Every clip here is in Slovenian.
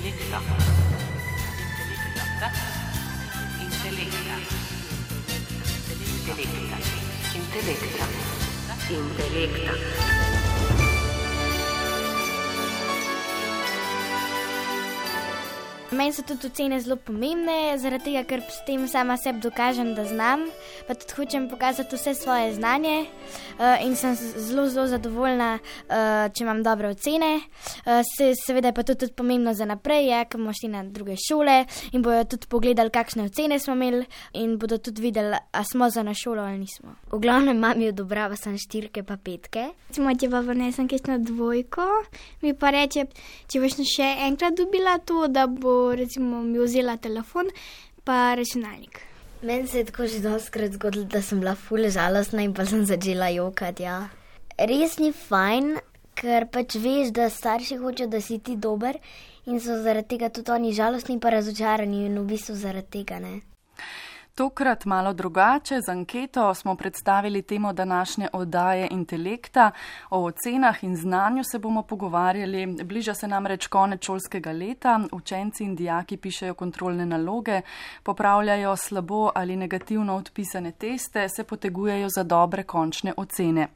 Intelekta. Meni so tudi ocene zelo pomembne, zaradi tega, ker s tem sama sebi dokažem, da znam, pa tudi hočem pokazati vse svoje znanje in sem zelo zadovoljna, če imam dobre ocene. Seveda je pa tudi pomembno za naprej, ko bomo šli na druge šole in bodo tudi pogledali, kakšne ocene smo imeli in bodo tudi videli, a smo za na šolo ali nismo. V glavnem mami odobrava sem 4 pa 5. Recimo, če pa vnesem kakšno 2, mi pa reče, če boš še enkrat dobila to, da bo recimo mi vzela telefon pa računalnik. Meni se je tako že dostikrat zgodilo, da sem bila ful žalostna in pa sem začela jokati, ja. Res ni fajn, ker pač veš, da starši hočejo, da si ti dober in so zaradi tega tudi oni žalostni pa razočarani in v bistvu zaradi tega, ne. Tokrat malo drugače, z anketo smo predstavili temo današnje oddaje Intelekta. O ocenah in znanju se bomo pogovarjali. Bliža se namreč konec šolskega leta, učenci in dijaki pišejo kontrolne naloge, popravljajo slabo ali negativno odpisane teste, se potegujejo za dobre končne ocene.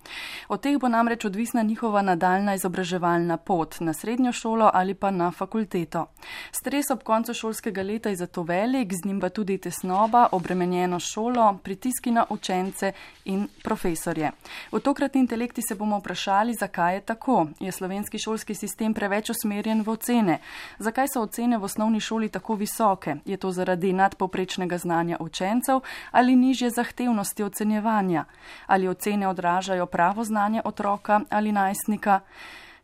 Od teh bo namreč odvisna njihova nadaljna izobraževalna pot na srednjo šolo ali pa na fakulteto. Stres ob koncu šolskega leta je zato velik, z njim pa tudi tesnoba, obremenjeno šolo, pritiski na učence in profesorje. V tokratni Intelekti se bomo vprašali, zakaj je tako. Je slovenski šolski sistem preveč usmerjen v ocene? Zakaj so ocene v osnovni šoli tako visoke? Je to zaradi nadpovprečnega znanja učencev ali nižje zahtevnosti ocenjevanja? Ali ocene odražajo pravo znanje otroka ali najstnika?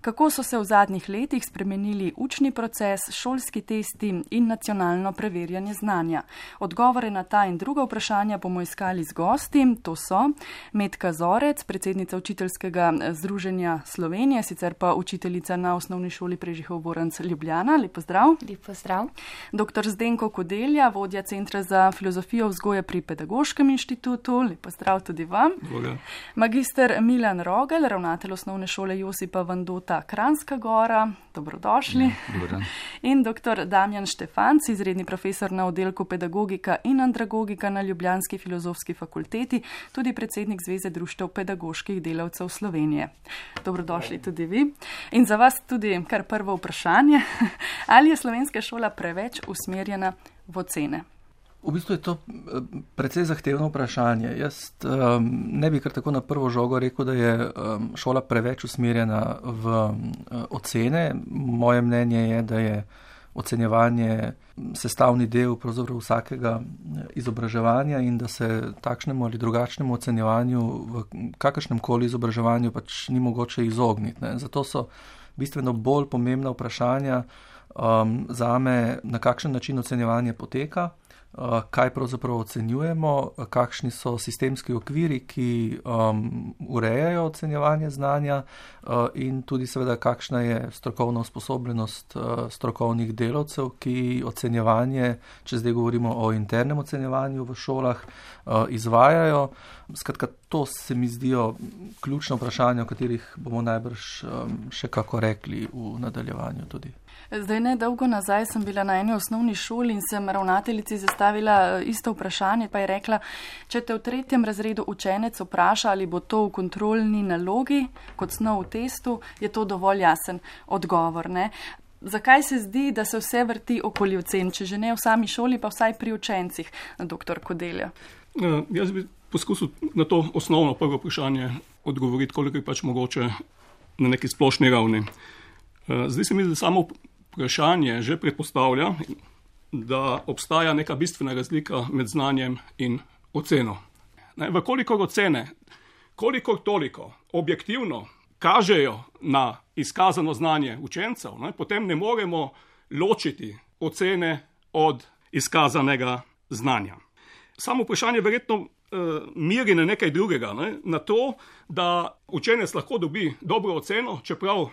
Kako so se v zadnjih letih spremenili učni proces, šolski testi in nacionalno preverjanje znanja? Odgovore na ta in druga vprašanja bomo iskali z gosti. To so Metka Zorec, predsednica Učiteljskega združenja Slovenije, sicer pa učiteljica na osnovni šoli Prežihov Voranc Ljubljana. Lep pozdrav. Lep pozdrav. Dr. Zdenko Kodelja, vodja Centra za filozofijo vzgoje pri Pedagoškem inštitutu. Lep pozdrav tudi vam. Dobre. Magister Milan Rogel, ravnatelj osnovne šole Josipa Vandota Kranjska Gora, dobrodošli. In dr. Damjan Štefanc, izredni profesor na oddelku pedagogika in andragogika na Ljubljanski filozofski fakulteti, tudi predsednik Zveze društev pedagoških delavcev Slovenije. Dobrodošli tudi vi. In za vas tudi kar prvo vprašanje, ali je slovenska šola preveč usmerjena v ocene? V bistvu je to precej zahtevno vprašanje. Jaz ne bi kar tako na prvo žogo rekel, da je šola preveč usmerjena v ocene. Moje mnenje je, da je ocenjevanje sestavni del pravzaprav vsakega izobraževanja in da se takšnemu ali drugačnemu ocenjevanju v kakršnem koli izobraževanju pač ni mogoče izogniti, ne. Zato so bistveno bolj pomembna vprašanja zame, na kakšen način ocenjevanje poteka, kaj pravzaprav ocenjujemo, kakšni so sistemski okviri, ki urejajo ocenjevanje znanja in tudi seveda kakšna je strokovna usposobljenost strokovnih delavcev, ki ocenjevanje, če zdaj govorimo o internem ocenjevanju v šolah, izvajajo. Skratka, to se mi zdijo ključna vprašanja, o katerih bomo najbrž še kako rekli v nadaljevanju tudi. Zdaj ne dolgo nazaj sem bila na eni osnovni šoli in sem ravnateljici zastavila isto vprašanje, pa je rekla, če te v 3. razredu učenec vpraša, ali bo to v kontrolni nalogi kot snov v testu, je to dovolj jasen odgovor, ne? Zakaj se zdi, da se vse vrti okoli ocen, če že ne v sami šoli, pa vsaj pri učencih, dr. Kodelja? Jaz bi poskusil na to osnovno prvo vprašanje odgovoriti, koliko je pač mogoče na neki splošni ravni. Zdaj se mi zdi, samo vprašanje že predpostavlja, da obstaja neka bistvena razlika med znanjem in oceno. Vkolikor ocene, kolikor toliko objektivno kažejo na izkazano znanje učencev, potem ne moremo ločiti ocene od izkazanega znanja. Samo vprašanje verjetno miri na nekaj drugega, na to, da učenec lahko dobi dobro oceno, čeprav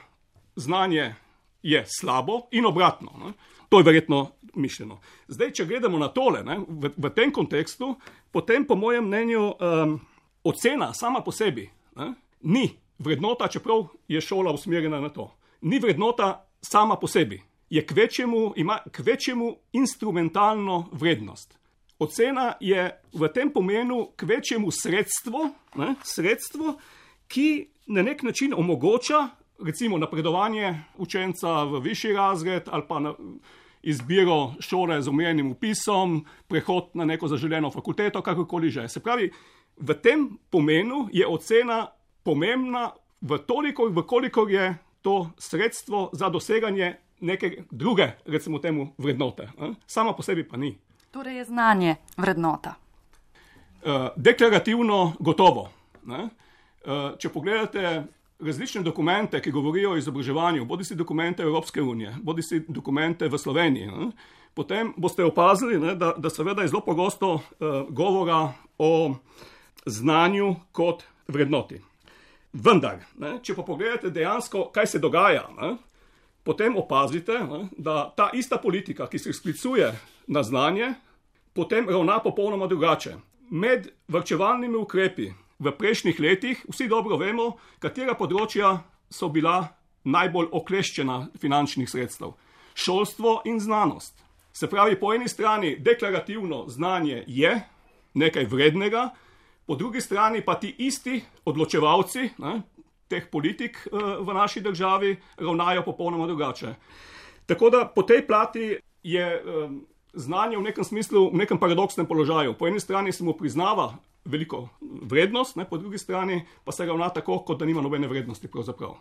znanje je slabo in obratno. To je verjetno mišljeno. Zdaj, če gledamo na tole, v tem kontekstu, potem po mojem mnenju ocena sama po sebi ni vrednota, čeprav je šola usmerjena na to. Ni vrednota sama po sebi. ima kvečjemu instrumentalno vrednost. Ocena je v tem pomenu kvečjemu sredstvo, ki na nek način omogoča recimo napredovanje učenca v višji razred ali pa izbiro šole z omejenim vpisom, prehod na neko zaželeno fakulteto, kakorkoli že. Se pravi, v tem pomenu je ocena pomembna kolikor je to sredstvo za doseganje neke druge, recimo temu, vrednote. Sama po sebi pa ni. Torej je znanje vrednota. Deklarativno gotovo. Če pogledate različne dokumente, ki govorijo o izobraževanju, bodisi dokumente Evropske unije, bodisi dokumente v Sloveniji, potem boste opazili, da seveda je zelo pogosto govora o znanju kot vrednoti. Vendar, če pa pogledate dejansko, kaj se dogaja, potem opazite, da ta ista politika, ki se sklicuje na znanje, potem ravna popolnoma drugače. Med varčevalnimi ukrepi v prejšnjih letih vsi dobro vemo, katera področja so bila najbolj okleščena finančnih sredstev. Šolstvo in znanost. Se pravi, po eni strani deklarativno znanje je nekaj vrednega, po drugi strani pa ti isti odločevalci teh politik v naši državi ravnajo popolnoma drugače. Tako da po tej plati je znanje v nekem smislu, v nekem paradoksnem položaju. Po eni strani se mu priznava veliko vrednost, po drugi strani pa se ravna tako, kot da nima nobene vrednosti pravzaprav.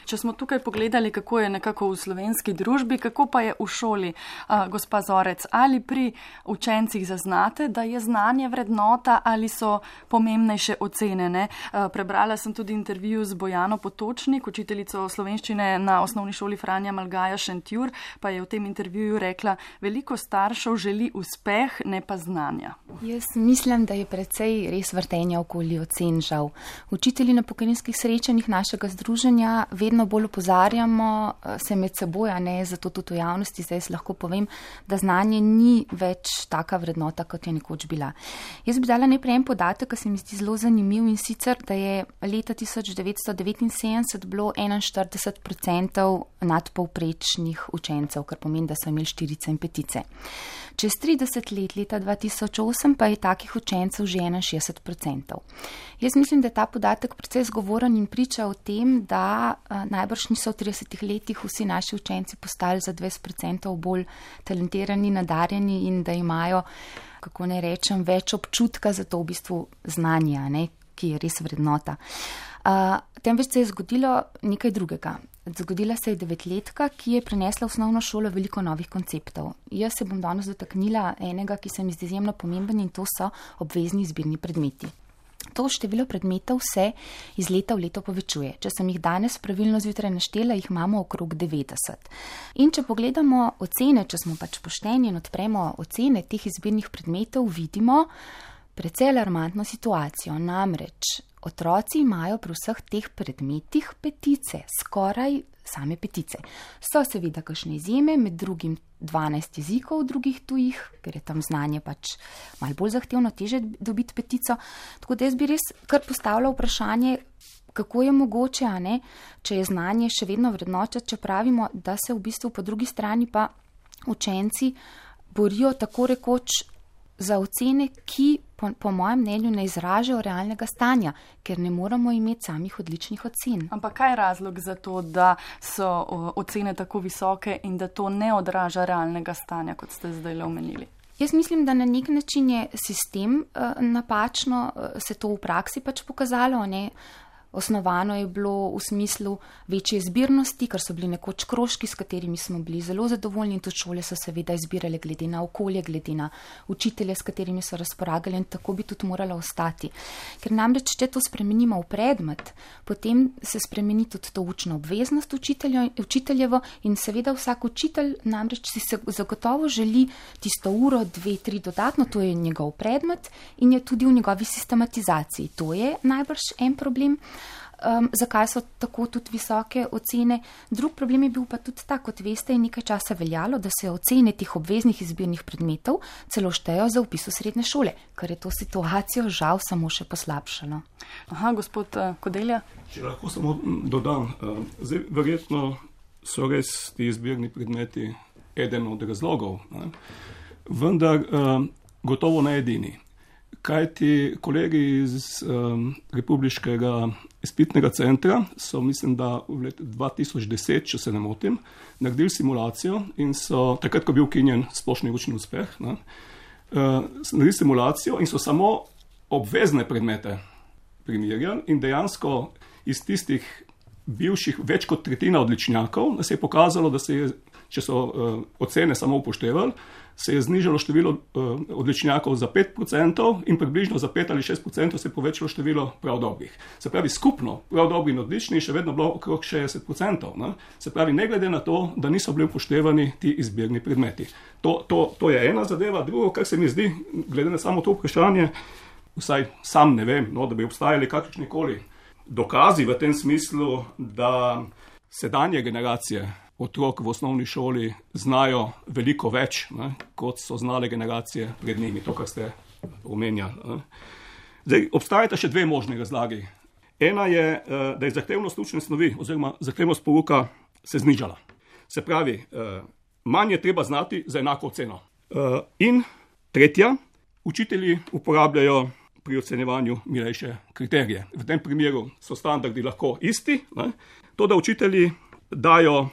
Če smo tukaj pogledali, kako je nekako v slovenski družbi, kako pa je v šoli, gospa Zorec, ali pri učencih zaznate, da je znanje vrednota ali so pomembnejše ocene, ne? Prebrala sem tudi intervju z Bojano Potočnik, učiteljico slovenščine na osnovni šoli Franja Malgaja Šentjur, pa je v tem intervjuju rekla, veliko staršev želi uspeh, ne pa znanja. Jaz mislim, da je precej res vrtenja okoli ocen žal. Učitelji na pokojninskih srečanjih našega združenja vedno bolj opozarjamo se med seboj, zato tudi v javnosti zdaj lahko povem, da znanje ni več taka vrednota, kot je nekoč bila. Jaz bi dala najprej en podatek, ki se mi zdi zelo zanimiv, in sicer, da je leta 1979 bilo 41% nadpovprečnih učencev, kar pomeni, da so imeli 4 in 5. Čez 30 let, leta 2008, pa je takih učencev že 61%. Jaz mislim, da je ta podatek precej zgovoren in priča o tem, da najbrž niso v 30 letih vsi naši učenci postali za 20% bolj talentirani, nadarjeni in da imajo, kako ne rečem, več občutka za to v bistvu znanje, ki je res vrednota. Temveč se je zgodilo nekaj drugega. Zgodila se je 9-letka, ki je prinesla v osnovno šolo veliko novih konceptov. Jaz se bom danes dotaknila enega, ki se mi zdi izjemno pomemben, in to so obvezni izbirni predmeti. To število predmetov se iz leta v leto povečuje. Če sem jih danes pravilno zjutraj naštela, jih imamo okrog 90. In če pogledamo ocene, če smo pač pošteni in odpremo ocene teh izbirnih predmetov, vidimo precej alarmantno situacijo. Namreč otroci imajo pri vseh teh predmetih 5, skoraj same 5. So seveda kakšne izjeme, med drugim 12 jezikov drugih tujih, ker je tam znanje pač malo bolj zahtevno, teže dobiti 5. Tako da jaz bi res kar postavila vprašanje, kako je mogoče, če je znanje še vedno vrednota, če pravimo, da se v bistvu po drugi strani pa učenci borijo tako rekoč za ocene, ki po mojem mnenju ne izražajo realnega stanja, ker ne moramo imeti samih odličnih ocen. Ampak kaj je razlog za to, da so ocene tako visoke in da to ne odraža realnega stanja, kot ste zdaj omenili? Jaz mislim, da na nek način je sistem napačno se to v praksi pač pokazalo, Osnovano je bilo v smislu večje izbirnosti, ker so bili nekoč krožki, s katerimi smo bili zelo zadovoljni, in tudi šole so seveda izbirale glede na okolje, glede na učitelje, s katerimi so razpolagali, in tako bi tudi moralo ostati. Ker namreč, če to spremenimo v predmet, potem se spremeni tudi to učno obveznost učiteljevo, in seveda vsak učitelj namreč si se zagotovo želi tisto uro, 2, 3 dodatno, to je njegov predmet in je tudi v njegovi sistematizaciji. To je najbrž en problem. Zakaj so tako tudi visoke ocene. Drug problem je bil pa tudi ta, kot veste, in nekaj časa veljalo, da se ocene teh obveznih izbirnih predmetov celo štejo za vpis v srednje šole, kar je to situacijo žal samo še poslabšalo. Aha, gospod Kodelja. Če lahko samo dodam, zdaj verjetno so res ti izbirni predmeti eden od razlogov, ne? Vendar gotovo ne edini. Kaj ti kolegi iz Republiškega izpitnega centra so, mislim, da v letu 2010, če se ne motim, naredili simulacijo in so, takrat, ko je bil ukinjen splošni učni uspeh, ne, naredili simulacijo in so samo obvezne predmete primerjali in dejansko iz tistih bivših več kot tretjina odličnjakov, da se je pokazalo, da se je, če so ocene samo upoštevali, se je znižalo število odličnjakov za 5% in približno za 5 ali 6% se je povečalo število prav dobrih. Se pravi, skupno prav dobri in odlični še vedno bilo okrog 60%. Ne? Se pravi, ne glede na to, da niso bili upoštevani ti izbirni predmeti. To je ena zadeva. Drugo, kar se mi zdi, glede na samo to vprašanje, vsaj sam ne vem, no, da bi obstajali kakršnikoli dokazi v tem smislu, da sedanje generacije otrok v osnovni šoli znajo veliko več, ne, kot so znale generacije pred njimi, to, kar ste omenjali. Zdaj, obstajata še dve možne razlagi. Ena je, da je zahtevnost učne snovi oziroma zahtevnost pouka se znižala. Se pravi, manj je treba znati za enako oceno. In tretja, učitelji uporabljajo pri ocenjevanju milejše kriterije. V tem primeru so standardi lahko isti, ne, to, da učitelji dajo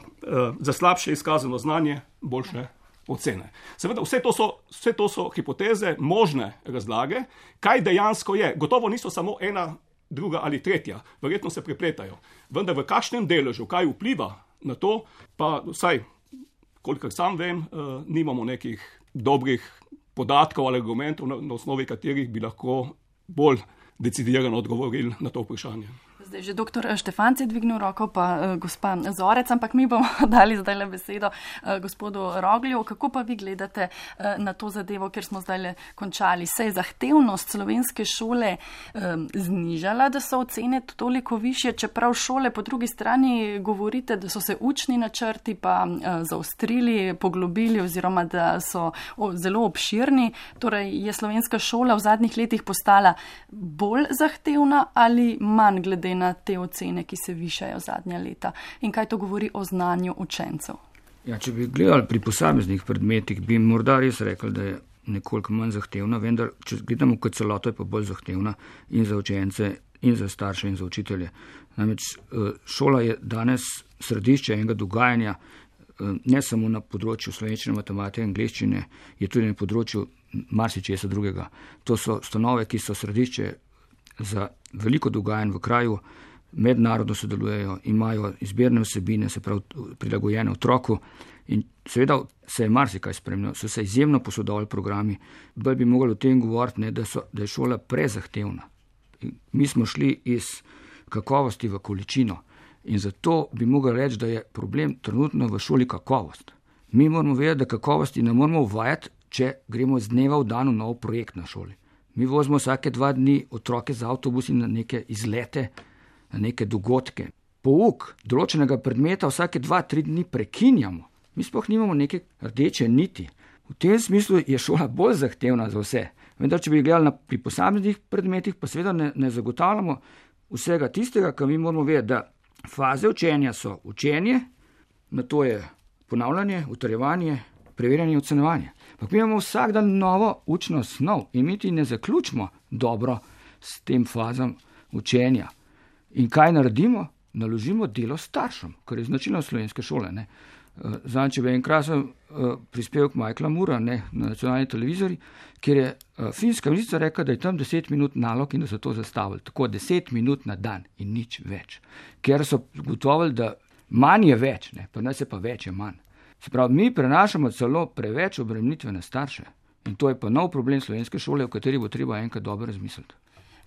za slabše izkazano znanje boljše ocene. Seveda, vse to so hipoteze, možne razlage, kaj dejansko je. Gotovo niso samo ena, druga ali tretja, verjetno se prepletajo. Vendar v kakšnem deležu, kaj vpliva na to, pa vsaj, kolikor sam vem, nimamo nekih dobrih podatkov ali argumentov, na osnovi katerih bi lahko bolj decidirano odgovorili na to vprašanje. Zdaj že doktor Štefanc je dvignil roko, pa gospa Zorec, ampak mi bomo dali zdaj le besedo gospodu Roglju. Kako pa vi gledate na to zadevo, ker smo zdaj le končali? Se je zahtevnost slovenske šole znižala, da so ocene toliko višje, čeprav šole po drugi strani govorite, da so se učni načrti pa zaostrili, poglobili oziroma da so zelo obširni. Torej je slovenska šola v zadnjih letih postala bolj zahtevna ali manj glede na te ocene, ki se višajo zadnja leta. In kaj to govori o znanju učencev? Ja, če bi gledali pri posameznih predmetih, bi morda res rekli, da je nekoliko manj zahtevna, vendar, če gledamo kot celoto, je pa bolj zahtevna in za učence, in za starše, in za učitelje. Namreč šola je danes središče enega dogajanja, ne samo na področju slovenščine, matematike, angleščine, je tudi na področju marsičesa drugega. To so ustanove, ki so središče za veliko dogajanj v kraju, mednarodno sodelujejo, imajo izbirne vsebine, se pravi prilagojene otroku in seveda se je marsikaj spremljalo, so se izjemno posodobili programi, bolj bi mogli o tem govoriti, ne, da je šola prezahtevna. Mi smo šli iz kakovosti v količino in zato bi mogli reči, da je problem trenutno v šoli kakovost. Mi moramo vedeti, da kakovosti ne moramo uvajati, če gremo z dneva v dan v nov projekt na šoli. Mi vozimo vsake 2 dni otroke z avtobusi na neke izlete, na neke dogodke. Pouk določenega predmeta vsake 2-3 dni prekinjamo. Mi sploh nimamo neke rdeče niti. V tem smislu je šola bolj zahtevna za vse. Vendar, če bi gledali pri posameznih predmetih, pa seveda ne zagotavljamo vsega tistega, kar mi moramo vedeti, da faze učenja so učenje, na to je ponavljanje, utrjevanje, preverjanje in ocenjevanje. Ampak mi imamo vsak dan novo učno snov in mi ti ne zaključimo dobro s tem fazam učenja. In kaj naredimo? Naložimo delo staršem, kar je značilno slovenske šole. Zdaj, če bi enkrat prispevek Michaela Moora na nacionalni televiziji, kjer je finska ministrica rekla, da je tam 10 minut nalog in da so to zastavili. Tako 10 minut na dan in nič več. Ker so gotovili, da manj je več, pa ne se pa več je manj. Se pravi, mi prenašamo celo preveč obremenitve na starše. In to je pa nov problem slovenske šole, o kateri bo treba enkrat dobro razmisliti.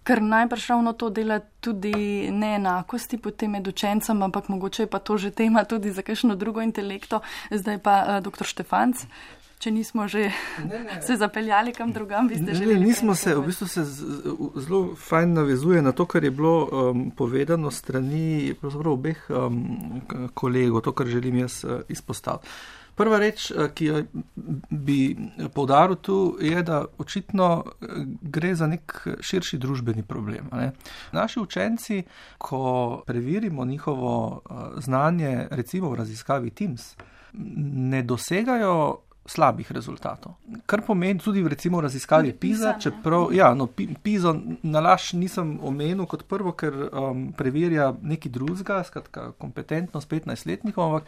Ker najbrž ravno to dela tudi neenakosti potem med učencem, ampak mogoče je pa to že tema tudi za kakšno drugo intelekto. Zdaj pa dr. Štefanc, če nismo že se zapeljali kam drugam, vi ste želeli. Nismo se, v bistvu se zelo fajn navezuje na to, kar je bilo povedano strani pravzaprav obeh kolegov, to, kar želim jaz izpostaviti. Prva reč, ki jo bi poudaril tu, je, da očitno gre za nek širši družbeni problem. Ne? Naši učenci, ko preverimo njihovo znanje, recimo v raziskavi Teams, ne dosegajo slabih rezultatov. Kar pomeni tudi recimo v raziskavi PISA, čeprav, PISA nalaž nisem omenil kot prvo, ker preverja neki drugega, skratka kompetentnost 15-letnikov, ampak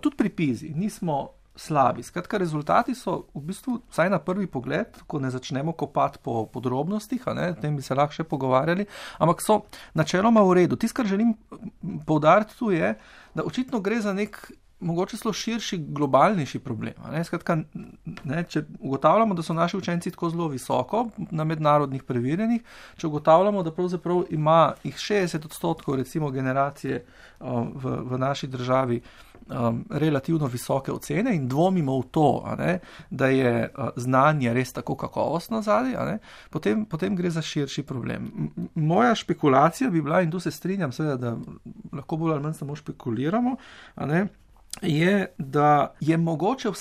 tudi pri PISI nismo slabi. Skratka, rezultati so v bistvu, vsaj na prvi pogled, ko ne začnemo kopati po podrobnostih, o tem bi se lahko še pogovarjali, ampak so načeloma v redu. Tisto, kar želim poudariti tu je, da očitno gre za nek mogoče celo širši, globalnejši problem. Skratka, če ugotavljamo, da so naši učenci tako zelo visoko na mednarodnih preverjanjih, če ugotavljamo, da pravzaprav ima jih 60% recimo generacije v naši državi relativno visoke ocene in dvomimo v to, da je znanje res tako kakovostno zadaj, potem gre za širši problem. Moja špekulacija bi bila, in tu se strinjam, seveda, da lahko bolj ali manj samo špekuliramo, je, da je mogoče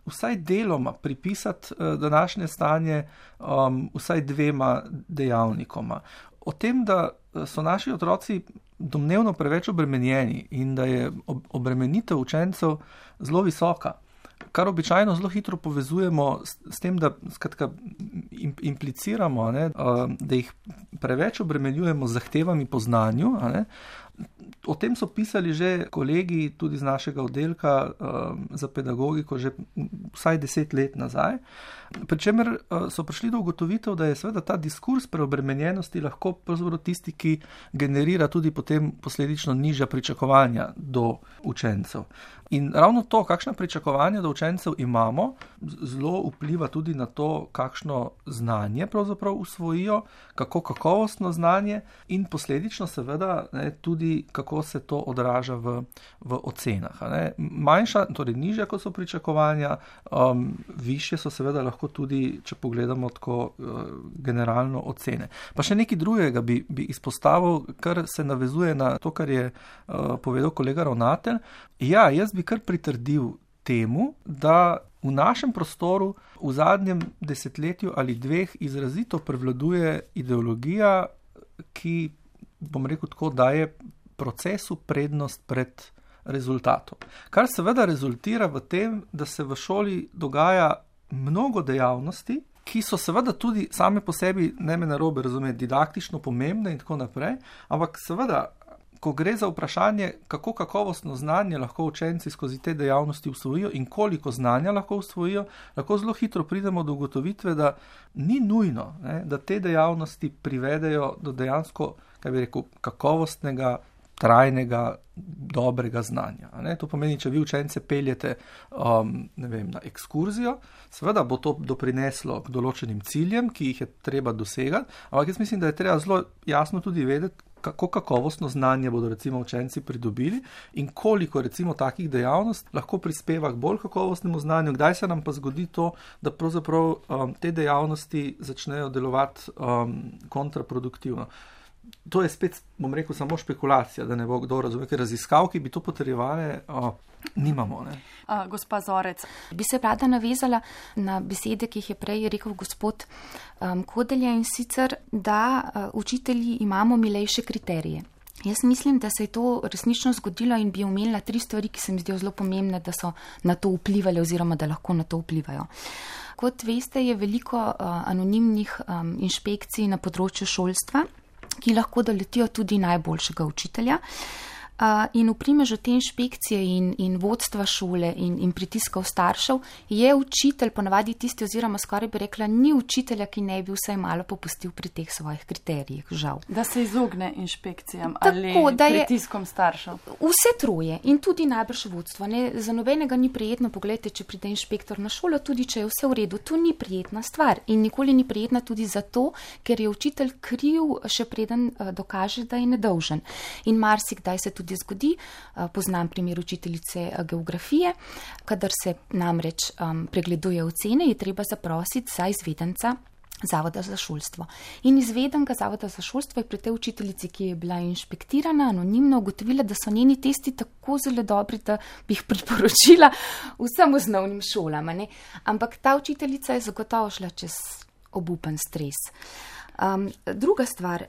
vsaj deloma pripisati današnje stanje vsaj dvema dejavnikoma. O tem, da so naši otroci domnevno preveč obremenjeni in da je obremenitev učencev zelo visoka, kar običajno zelo hitro povezujemo s tem, da skratka impliciramo, da jih preveč obremenjujemo z zahtevami po znanju. O tem so pisali že kolegi tudi z našega oddelka za pedagogiko že vsaj 10 let nazaj, pri čemer so prišli do ugotovitev, da je seveda ta diskurs preobremenjenosti lahko pravzaprav tisti, ki generira tudi potem posledično nižja pričakovanja do učencev. In ravno to, kakšna pričakovanja do učencev imamo, zelo vpliva tudi na to, kakšno znanje pravzaprav usvojijo, kako kakovostno znanje in posledično seveda tudi, kako se to odraža v ocenah. Manjša, torej nižja, kot so pričakovanja, višje so seveda lahko tudi, če pogledamo tako generalno ocene. Pa še nekaj drugega bi izpostavil, kar se navezuje na to, kar je povedal kolega ravnatelj. Ja, jaz bi kar pritrdil temu, da v našem prostoru v zadnjem desetletju ali dveh izrazito prevladuje ideologija, ki, bom rekel tako, daje procesu prednost pred rezultatom. Kar seveda rezultira v tem, da se v šoli dogaja mnogo dejavnosti, ki so seveda tudi same po sebi, ne me narobe razumeti, didaktično pomembne in tako naprej, ampak seveda, ko gre za vprašanje, kako kakovostno znanje lahko učenci skozi te dejavnosti usvojijo in koliko znanja lahko usvojijo, lahko zelo hitro pridemo do ugotovitve, da ni nujno, da te dejavnosti privedejo do dejansko, kaj bi rekel, kakovostnega, trajnega, dobrega znanja. To pomeni, če vi učence peljete na ekskurzijo, seveda bo to doprineslo k določenim ciljem, ki jih je treba dosegati, ampak jaz mislim, da je treba zelo jasno tudi vedeti, kako kakovostno znanje bodo recimo učenci pridobili in koliko recimo takih dejavnosti lahko prispeva k bolj kakovostnemu znanju, kdaj se nam pa zgodi to, da pravzaprav te dejavnosti začnejo delovati kontraproduktivno. To je spet, bom rekel, samo špekulacija, da ne bo kdo razumel, ker raziskav, ki bi to potrjevale, nimamo. Gospa Zorec. Bi se rada navezala na besede, ki jih je prej rekel gospod Kodelja, in sicer, da učitelji imamo milejše kriterije. Jaz mislim, da se je to resnično zgodilo in bi omenila 3 stvari, ki se mi zdijo zelo pomembne, da so na to vplivali oziroma da lahko na to vplivajo. Kot veste, je veliko anonimnih inšpekcij na področju šolstva, ki lahko doletijo tudi najboljšega učitelja. In v primežu te inšpekcije in vodstva šole in pritiskov staršev je učitelj ponavadi tisti, oziroma skoraj bi rekla, ni učitelja, ki ne bi vsaj malo popustil pri teh svojih kriterijih, žal. Da se izogne inšpekcijam ali pritiskom staršev. Vse troje in tudi najbrž vodstvo. Za nobenega ni prijetno, pogledajte, če pride inšpektor na šolo, tudi če je vse v redu. To ni prijetna stvar in nikoli ni prijetna tudi zato, ker je učitelj kriv, še preden dokaže, da je nedolžen. In marsikdaj se tudi zgodi, poznam primer učiteljice geografije, kadar se namreč pregleduje ocene, je treba zaprositi za izvedenca Zavoda za šolstvo. In izvedenka Zavoda za šolstvo je pri tej učiteljici, ki je bila inšpektirana, anonimno ugotovila, da so njeni testi tako zelo dobri, da bi jih priporočila vsem osnovnim šolam. Ne? Ampak ta učiteljica je zagotovo šla čez obupen stres. Druga stvar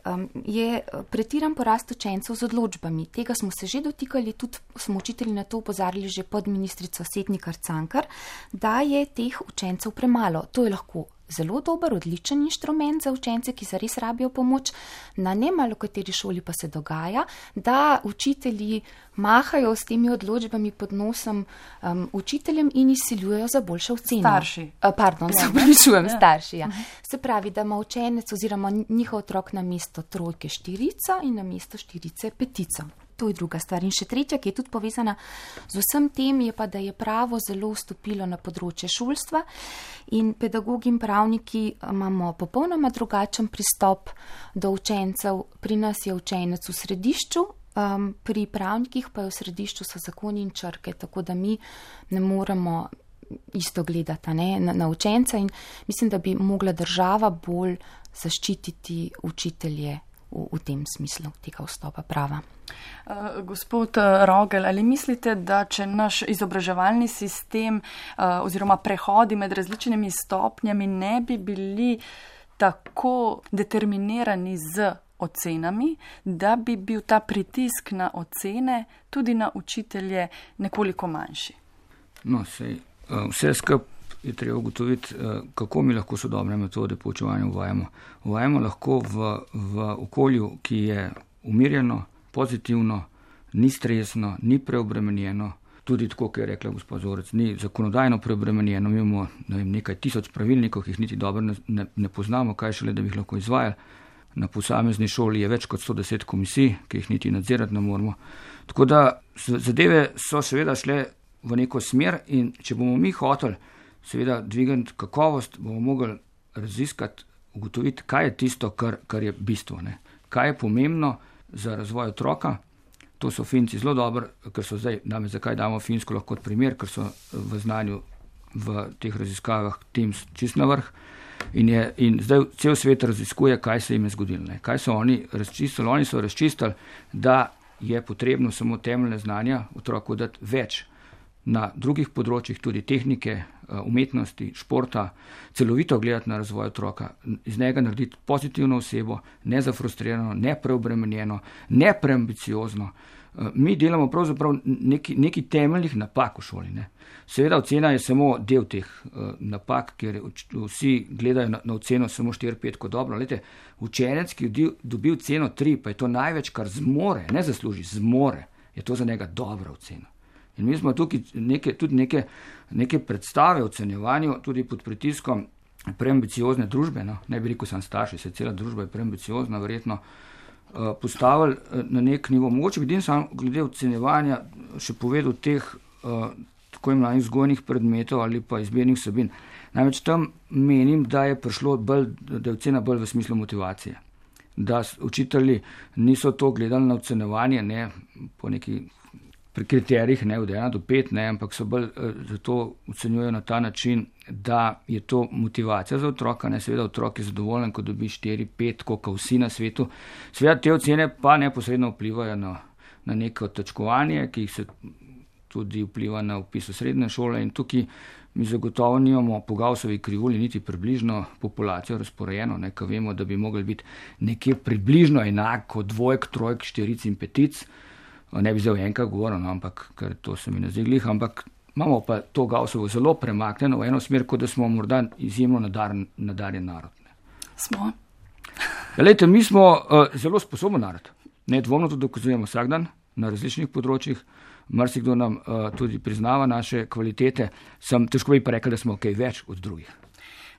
je pretiran porast učencev z odločbami. Tega smo se že dotikali, tudi smo učitelji na to opozarjali že pod ministrico Setnikar Cankar, da je teh učencev premalo. To je lahko zelo dober, odličen inštrument za učence, ki zares rabijo pomoč. Na nemalo kateri šoli pa se dogaja, da učitelji mahajo s temi odločbami pod nosom učiteljem in izsiljujejo za boljše ocene. Starši. Starši, ja. Se pravi, da ima učenec oziroma njihov otrok na mesto 3 4 in na mesto 4 5. To je druga stvar. In še tretja, ki je tudi povezana z vsem tem, je pa, da je pravo zelo vstopilo na področje šolstva in pedagogi in pravniki imamo popolnoma drugačen pristop do učencev. Pri nas je učenec v središču, pri pravnikih pa je v središču so zakoni in črke, tako da mi ne moremo isto gledati na učenca in mislim, da bi mogla država bolj zaščititi učitelje v tem smislu tega vstopa prava. Gospod Rogel, ali mislite, da če naš izobraževalni sistem oziroma prehodi med različnimi stopnjami ne bi bili tako determinirani z ocenami, da bi bil ta pritisk na ocene tudi na učitelje nekoliko manjši? No, vse skupaj je treba ugotoviti, kako mi lahko sodobne metode poučevanja uvajamo. Uvajamo lahko v okolju, ki je umirjeno, pozitivno, ni stresno, ni preobremenjeno, tudi tako, kot je rekla gospod Zorec, ni zakonodajno preobremenjeno. Mi imamo nekaj tisoč pravilnikov, ki jih niti dobro ne poznamo, kaj šele, da bi jih lahko izvajali. Na posamezni šoli je več kot 110 komisij, ki jih niti nadzirati ne moramo. Tako da zadeve so seveda šle v neko smer in če bomo mi hoteli seveda dvigati kakovost, bomo mogli raziskati, ugotoviti, kaj je tisto, kar je bistvo. Ne? Kaj je pomembno za razvoj otroka. To so Finci zelo dobro, ker so zdaj, zakaj damo Finsko lahko kot primer, ker so v znanju v teh raziskavah Teams čist na vrh in zdaj cel svet raziskuje, kaj se jim je zgodilo. Ne? Kaj so oni razčistili? Oni so razčistili, da je potrebno samo temeljne znanja otroku dati več na drugih področjih, tudi tehnike, umetnosti, športa, celovito gledati na razvoj otroka, iz njega narediti pozitivno osebo, ne zafrustrirano, ne preobremenjeno, ne preambiciozno. Mi delamo pravzaprav neki temeljnih napak v šoli. Ne. Seveda ocena je samo del teh napak, ker vsi gledajo na oceno samo 4-5 kot dobro. Lejte, učenec, ki je dobil ceno 3, pa je to največ, kar zmore, ne zasluži, zmore, je to za njega dobra ocena. In mi smo tukaj tudi neke predstave o ocenjevanju, tudi pod pritiskom preambiciozne družbe, no, ne bi rekel sam starši, se cela družba je preambiciozna, verjetno postavili na nek nivo. Mogoče bi sam glede ocenjevanja še povedal teh tako imenovanih vzgojnih predmetov ali pa izbirnih vsebin. Namreč tam menim, da je ocena bolj v smislu motivacije. Da učitelji niso to gledali na ocenjevanje, ne po neki pri kriterijih, ne od 1 do 5, ne, ampak so bolj zato ocenjujejo na ta način, da je to motivacija za otroka, ne, seveda otrok je zadovoljen, ko dobi 4, 5, koliko vsi na svetu. Seveda te ocene pa neposredno vplivajo na neko točkovanje, ki jih se tudi vpliva na vpis v srednje šole in tukaj mi zagotovo nimamo po Gaussovi krivulji niti približno populacijo razporejeno, ne, ko vemo, da bi mogli biti nekje približno enako 2, 3, 4 in 5. Ne bi zdaj enkrat govoril, no, ampak ker to se mi ne zdi glih, ampak imamo pa to Gaussovo zelo premaknjeno v eno smer, kot da smo morda izjemno nadarjen narod. Ne. Smo. Lejte, mi smo zelo sposoben narod. Nedvomno to dokazujemo vsak dan na različnih področjih. Marsikdo nam tudi priznava naše kvalitete. Težko bi pa rekel, da smo kaj več od drugih.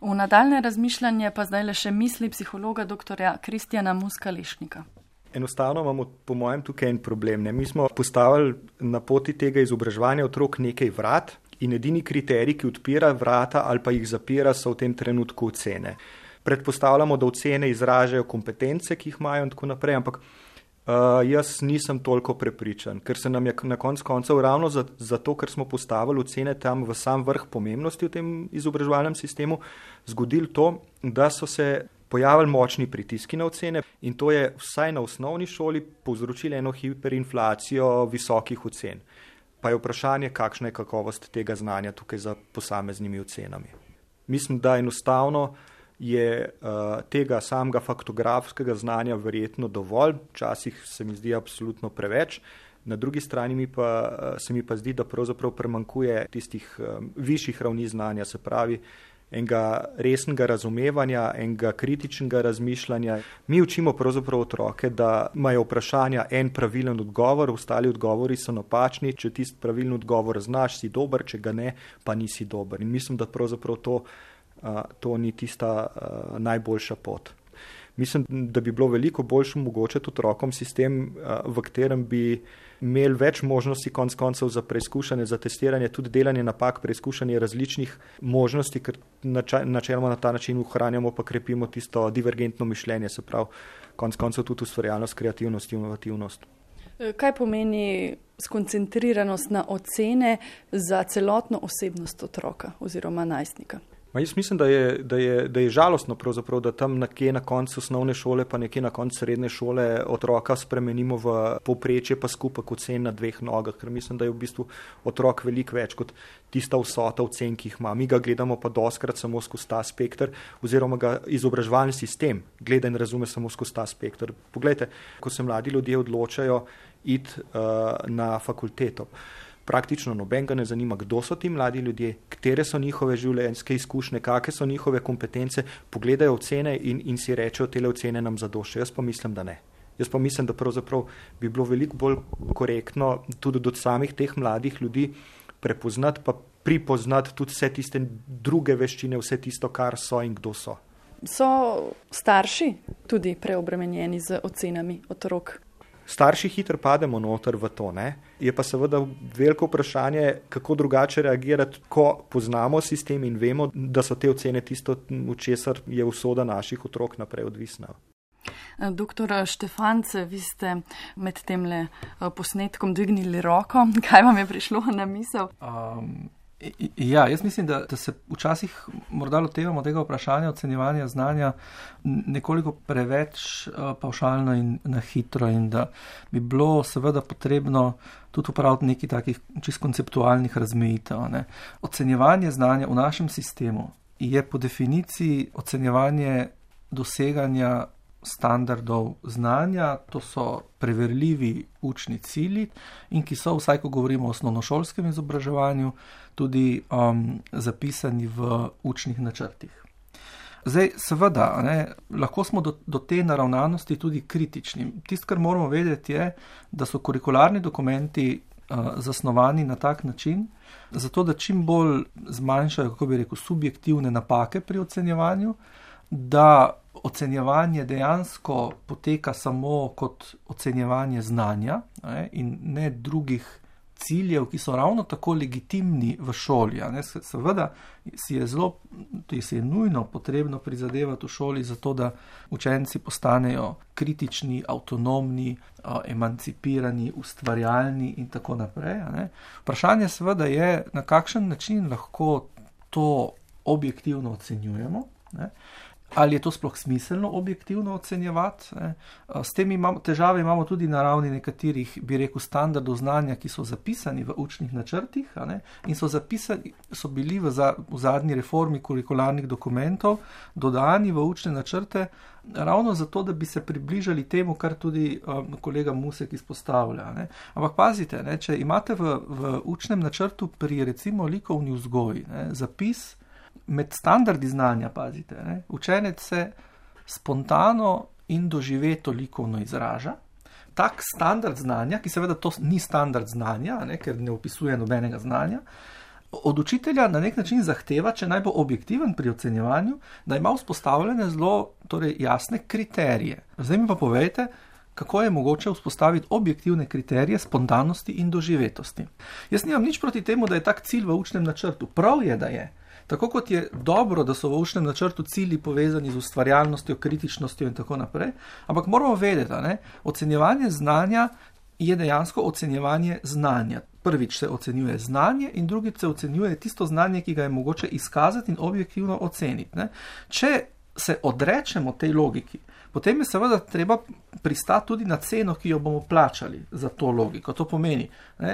V nadaljne razmišljanje pa zdaj le še misli psihologa dr. Kristjana Muska-Lešnika. Enostavno imamo po mojem tukaj en problem. Ne? Mi smo postavili na poti tega izobraževanja otrok nekaj vrat in edini kriterij, ki odpira vrata ali pa jih zapira, so v tem trenutku ocene. Predpostavljamo, da ocene izražajo kompetence, ki jih imajo in tako naprej, ampak Jaz nisem toliko prepričan, ker se nam je na koncu koncev ravno zato, ker smo postavili ocene tam v sam vrh pomembnosti v tem izobraževalnem sistemu, zgodilo to, da so se pojavili močni pritiski na ocene in to je vsaj na osnovni šoli povzročilo eno hiperinflacijo visokih ocen. Pa je vprašanje, kakšna je kakovost tega znanja tukaj za posameznimi ocenami. Mislim, da enostavno je tega samega faktografskega znanja verjetno dovolj, včasih se mi zdi absolutno preveč, na drugi strani se mi pa zdi, da pravzaprav premankuje tistih višjih ravni znanja, se pravi enega resnega razumevanja, enega kritičnega razmišljanja. Mi učimo pravzaprav otroke, da imajo vprašanja en pravilen odgovor, ostali odgovori so napačni, če tisti pravilen odgovor znaš, si dober, če ga ne, pa nisi dober. In mislim, da pravzaprav to ni tista najboljša pot. Mislim, da bi bilo veliko boljše omogočiti otrokom sistem, v katerem bi imeli več možnosti konec koncev za preizkušanje, za testiranje, tudi delanje napak, preizkušanje različnih možnosti, ker načeloma na ta način ohranjamo pa krepimo tisto divergentno mišljenje, se pravi konec koncev tudi ustvarjalnost, kreativnost, inovativnost. Kaj pomeni skoncentriranost na ocene za celotno osebnost otroka oziroma najstnika? Jaz mislim, da je žalostno pravzaprav, da tam nekje na koncu osnovne šole pa nekje na koncu srednje šole otroka spremenimo v povprečje pa skupek ocen na dveh nogah, ker mislim, da je v bistvu otrok veliko več kot tista vsota ocen, ki jih ima. Mi ga gledamo pa doskrat samo skozi ta spekter oziroma ga izobraževalni sistem gleda in razume samo skozi ta spekter. Poglejte, ko se mladi ljudje odločajo iti na fakulteto, praktično nobenega ne zanima, kdo so ti mladi ljudje, katere so njihove življenjske izkušnje, kakšne so njihove kompetence, pogledajo ocene in si rečejo, tele ocene nam zadoščajo. Jaz pa mislim, da ne. Jaz pa mislim, da pravzaprav bi bilo veliko bolj korektno tudi do samih teh mladih ljudi prepoznati pa pripoznati tudi vse tiste druge veščine, vse tisto, kar so in kdo so. So starši tudi preobremenjeni z ocenami otrok? Starši hitro pademo noter v to, ne? Je pa seveda veliko vprašanje, kako drugače reagirati, ko poznamo sistem in vemo, da so te ocene tisto, v česar je usoda naših otrok naprej odvisna. Doktor Štefance, vi ste med temle posnetkom dvignili roko. Kaj vam je prišlo na misel? Jaz mislim, da se včasih morda lotevamo tega vprašanja ocenjevanja znanja nekoliko preveč pavšalno in na hitro in da bi bilo seveda potrebno tudi upraviti nekaj takih čisto konceptualnih razmejitev. Ocenjevanje znanja v našem sistemu je po definiciji ocenjevanje doseganja standardov znanja, to so preverljivi učni cilji in ki so, vsaj ko govorimo o osnovnošolskem izobraževanju, tudi zapisani v učnih načrtih. Zdaj, seveda, lahko smo do te naravnanosti tudi kritični. Tisto, kar moramo vedeti, je, da so kurikularni dokumenti zasnovani na tak način, zato da čim bolj zmanjšajo, kako bi rekel, subjektivne napake pri ocenjevanju, da ocenjevanje dejansko poteka samo kot ocenjevanje znanja in ne drugih ciljev, ki so ravno tako legitimni v šoli. Seveda si je nujno potrebno prizadevati v šoli za to, da učenci postanejo kritični, avtonomni, emancipirani, ustvarjalni in tako naprej. Vprašanje seveda je, na kakšen način lahko to objektivno ocenjujemo. Ali je to sploh smiselno objektivno ocenjevati? S tem težave imamo tudi na ravni nekaterih, bi rekel, standardov znanja, ki so zapisani v učnih načrtih in so bili v zadnji reformi kurikularnih dokumentov dodani v učne načrte ravno zato, da bi se približali temu, kar tudi kolega Musek izpostavlja. Ampak pazite, če imate v učnem načrtu pri recimo likovni vzgoji zapis med standardi znanja, pazite, učenec se spontano in doživeto likovno izraža. Tak standard znanja, ki seveda to ni standard znanja, ker ne opisuje nobenega znanja, od učitelja na nek način zahteva, če naj bo objektiven pri ocenjevanju, da ima vzpostavljene zelo jasne kriterije. Zdaj mi pa povejte, kako je mogoče vzpostaviti objektivne kriterije spontanosti in doživetosti. Jaz nimam nič proti temu, da je tak cilj v učnem načrtu. Prav je, da je. Tako kot je dobro, da so v učnem načrtu cilji povezani z ustvarjalnostjo, kritičnostjo in tako naprej, ampak moramo vedeti, ocenjevanje znanja je dejansko ocenjevanje znanja. Prvič se ocenjuje znanje in drugič se ocenjuje tisto znanje, ki ga je mogoče izkazati in objektivno oceniti. Če se odrečemo tej logiki, potem je seveda treba pristati tudi na ceno, ki jo bomo plačali za to logiko. To pomeni,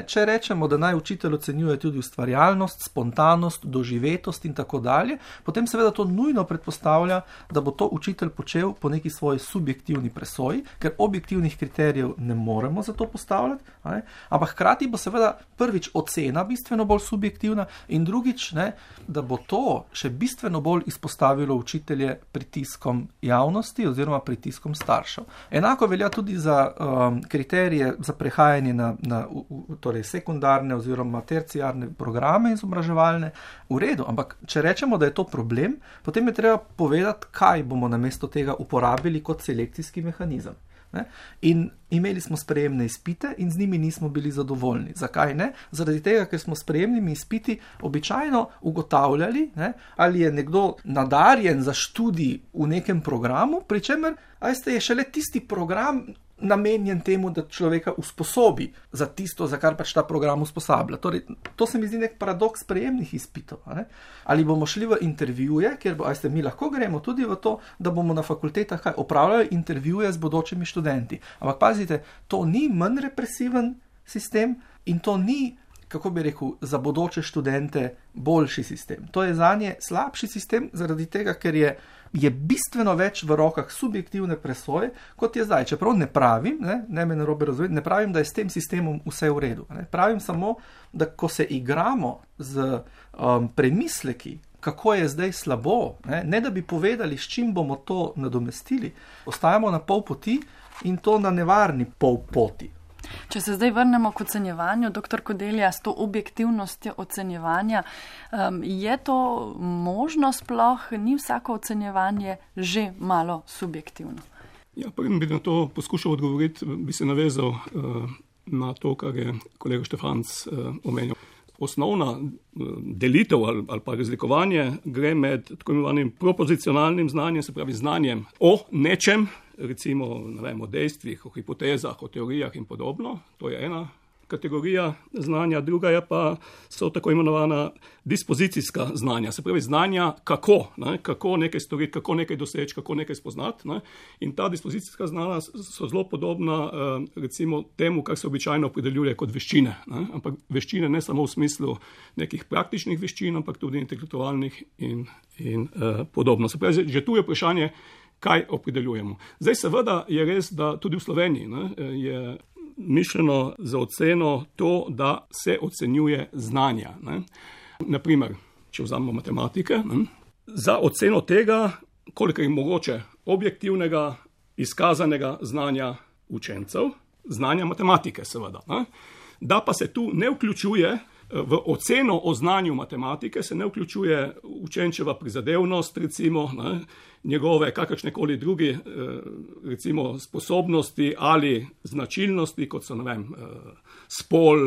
če rečemo, da naj učitelj ocenjuje tudi ustvarjalnost, spontanost, doživetost in tako dalje, potem seveda to nujno predpostavlja, da bo to učitelj počel po neki svoji subjektivni presoji, ker objektivnih kriterijev ne moremo za to postavljati, ampak hkrati bo seveda prvič ocena bistveno bolj subjektivna in drugič, da bo to še bistveno bolj izpostavilo učitelje pritiskom javnosti oziroma pritiskom staršev. Enako velja tudi za kriterije za prehajanje na torej sekundarne oziroma terciarne programe izobraževalne. V redu, ampak če rečemo, da je to problem, potem je treba povedati, kaj bomo namesto tega uporabili kot selekcijski mehanizem. In imeli smo sprejemne izpite in z njimi nismo bili zadovoljni. Zakaj ne? Zaradi tega, ker smo s sprejemnimi izpiti običajno ugotavljali, ali je nekdo nadarjen za študij v nekem programu, pri čemer je šele tisti program namenjen temu, da človeka usposobi za tisto, za kar pač ta program usposablja. Torej, to se mi zdi nek paradoks sprejemnih izpitov. Ali bomo šli v intervjuje, kjer mi lahko gremo tudi v to, da bomo na fakultetah opravljali intervjuje z bodočimi študenti. Ampak pazite, to ni manj represiven sistem in to ni, kako bi rekel, za bodoče študente boljši sistem. To je zanje slabši sistem zaradi tega, ker je bistveno več v rokah subjektivne presoje, kot je zdaj. Čeprav ne pravim, ne me narobe razumeti, ne pravim, da je s tem sistemom vse v redu. Pravim samo, da ko se igramo z premisleki, kako je zdaj slabo, ne da bi povedali, s čim bomo to nadomestili, ostajamo na pol poti in to na nevarni pol poti. Če se zdaj vrnemo k ocenjevanju, dr. Kodelja, s to objektivnostjo ocenjevanja, je to možno sploh, ni vsako ocenjevanje že malo subjektivno? Ja, preden bi na to poskušal odgovoriti, bi se navezal na to, kar je kolega Štefanc omenil. Osnovna delitev ali pa razlikovanje gre med tako imenovanim propozicionalnim znanjem, se pravi znanjem o nečem, recimo o dejstvih, o hipotezah, o teorijah in podobno. To je ena kategorija znanja, druga je pa so tako imenovana dispozicijska znanja, se pravi znanja kako nekaj storiti, kako nekaj doseči, kako nekaj spoznati. In ta dispozicijska znanja so zelo podobna recimo temu, kar se običajno opredeljuje kot veščine. Ampak veščine ne samo v smislu nekih praktičnih veščin, ampak tudi intelektualnih in podobno. Se pravi, že tu je vprašanje, kaj opredeljujemo. Zdaj seveda je res, da tudi v Sloveniji je mišljeno za oceno to, da se ocenjuje znanja. Naprimer, če vzamemo matematike, za oceno tega, koliko je mogoče objektivnega, izkazanega znanja učencev, znanja matematike seveda. Da pa se tu ne vključuje v oceno o znanju matematike, se ne vključuje učenčeva prizadevnost, recimo, njegove kakršnekoli drugi recimo sposobnosti ali značilnosti, kot so, spol,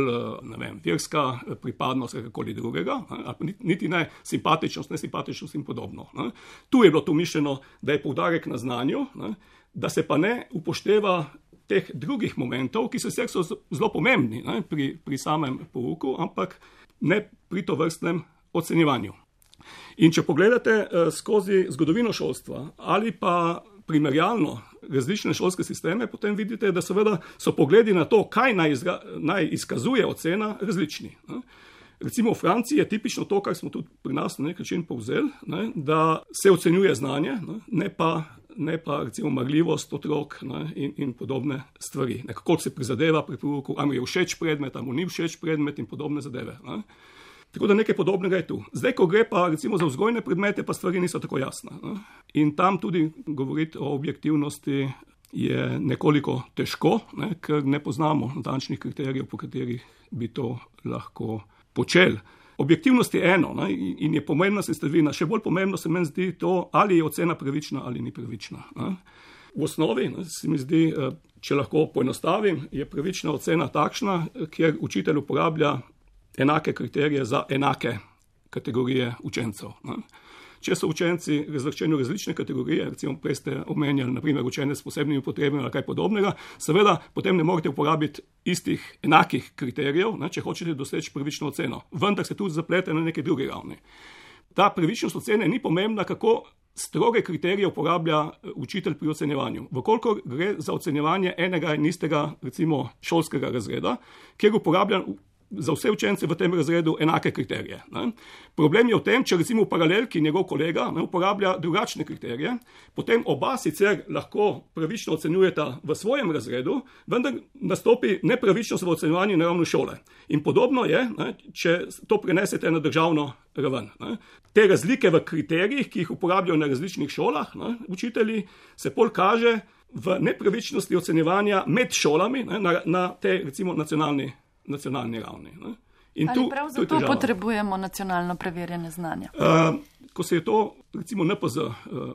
verska pripadnost, kakorkoli drugega, niti ne simpatičnost, nesimpatičnost in podobno. Tu je bilo to mišljeno, da je poudarek na znanju, da se pa ne upošteva teh drugih momentov, ki so zelo pomembni pri samem pouku, ampak ne pri tovrstnem ocenjevanju. In če pogledate skozi zgodovino šolstva ali pa primerjalno različne šolske sisteme, potem vidite, da seveda so pogledi na to, kaj naj izkazuje ocena, različni. Recimo v Franciji je tipično to, kar smo tudi pri nas na nek način povzeli, da se ocenjuje znanje, ne pa recimo marljivost otrok in podobne stvari. Kako se prizadeva pri pouku, ali mu je všeč predmet, ali mu ni všeč predmet in podobne zadeve. Tako da nekaj podobnega je tu. Zdaj, ko gre pa recimo za vzgojne predmete, pa stvari niso tako jasne. In tam tudi govoriti o objektivnosti je nekoliko težko, ker ne poznamo natančnih kriterijev, po katerih bi to lahko počeli. Objektivnost je eno in je pomembna sestavina. Še bolj pomembno se meni zdi to, ali je ocena pravična ali ni pravična. V osnovi se mi zdi, če lahko poenostavim, je pravična ocena takšna, kjer učitelj uporablja enake kriterije za enake kategorije učencev. Ne. Če so učenci razvrščeni v različne kategorije, recimo prej ste omenjali, naprimer, učenec s posebnimi potrebami ali kaj podobnega, seveda potem ne morete uporabiti istih enakih kriterijev, ne, če hočete doseči pravično oceno. Vendar se tudi zaplete na neki drugi ravni. Ta pravičnost ocene ni pomembna, kako stroge kriterije uporablja učitelj pri ocenjevanju. Vkolikor gre za ocenjevanje enega in istega, recimo, šolskega razreda, kjer uporablja za vse učence v tem razredu enake kriterije. Ne. Problem je v tem, če recimo v paralelki njegov kolega uporablja drugačne kriterije, potem oba sicer lahko pravično ocenjujeta v svojem razredu, vendar nastopi nepravičnost v ocenjevanju na ravni šole. In podobno je, ne, če to prenesete na državno raven. Ne. Te razlike v kriterijih, ki jih uporabljajo na različnih šolah, ne, učitelji, se pol kaže v nepravičnosti ocenjevanja med šolami, ne, na tej recimo nacionalni ravni. Ne. In ali prav zato potrebujemo nacionalno preverjene znanja? Ko se je to, recimo, NPZ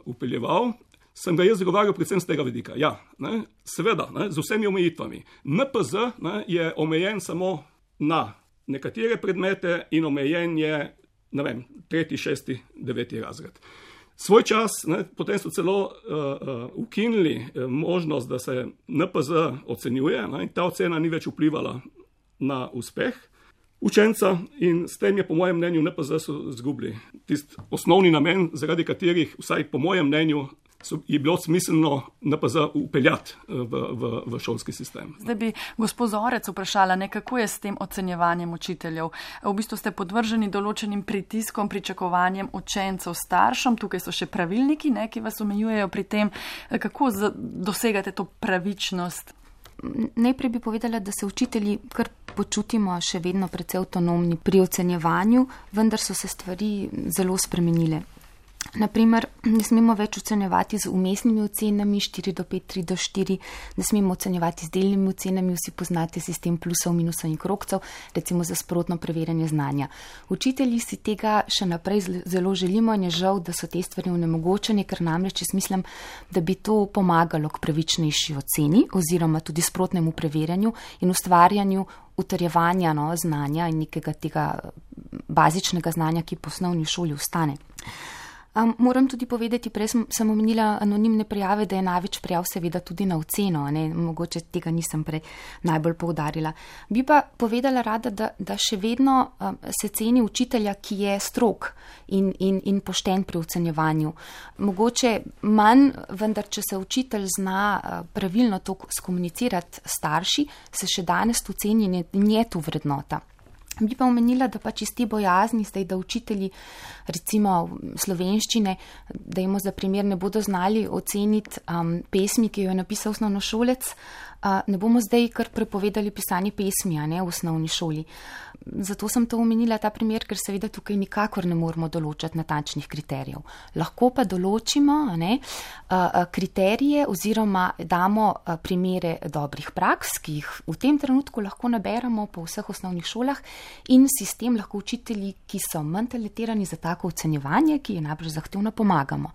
upeljeval, sem ga jaz zagovarjal predvsem z tega vidika. Ja, ne, seveda, ne, z vsemi omejitvami. NPZ, ne, je omejen samo na nekatere predmete in omejen je, ne vem, 3., 6., 9. razred. Svoj čas, ne, potem so celo ukinili možnost, da se NPZ ocenjuje, ne, in ta ocena ni več vplivala na uspeh učenca in s tem je po mojem mnenju NPZ so zgubili tisti osnovni namen, zaradi katerih, vsaj po mojem mnenju, je bilo smiselno NPZ upeljati v šolski sistem. Zdaj bi gospod Zorec vprašala, kako je s tem ocenjevanjem učiteljev. V bistvu ste podvrženi določenim pritiskom, pričakovanjem učencev, staršem, tukaj so še pravilniki, ne, ki vas omejujejo pri tem. Kako dosegate to pravičnost? Najprej bi povedala, da se učitelji kar počutimo še vedno precej avtonomni pri ocenjevanju, vendar so se stvari zelo spremenile. Naprimer, ne smemo več ocenjevati z umestnimi ocenami 4 do 5, 3 do 4, ne smemo ocenjevati z delnimi ocenami, vsi poznate sistem plusov, minusov in krogcev, recimo za sprotno preverjanje znanja. Učitelji si tega še naprej zelo želimo in je žal, da so te stvari onemogočene, ker namreč jaz mislim, da bi to pomagalo k pravičnejši oceni oziroma tudi sprotnemu preverjanju in ustvarjanju utrjevanja znanja in nekega tega bazičnega znanja, ki po osnovni šoli ostane. Moram tudi povedati, prej sem omenila anonimne prijave, da je največ prijav seveda tudi na oceno, ne? Mogoče tega nisem prej najbolj poudarila. Bi pa povedala rada, da še vedno se ceni učitelja, ki je strog in pošten pri ocenjevanju. Mogoče manj, vendar če se učitelj zna pravilno to skomunicirati starši, se še danes to ceni in je tu vrednota. Bi pa omenila, da pač iz te bojazni zdaj, da učitelji recimo slovenščine, da jim za primer ne bodo znali oceniti pesmi, ki jo je napisal osnovnošolec, ne bomo zdaj kar prepovedali pisanje pesmi, a ne, v osnovni šoli. Zato sem to omenila, ta primer, ker seveda tukaj nikakor ne moramo določati natančnih kriterijev. Lahko pa določimo, a ne, kriterije oziroma damo primere dobrih praks, ki jih v tem trenutku lahko naberemo po vseh osnovnih šolah in sistem lahko učitelji, ki so manj talentirani za tako ocenjevanje, ki je najbolj zahtevno, pomagamo.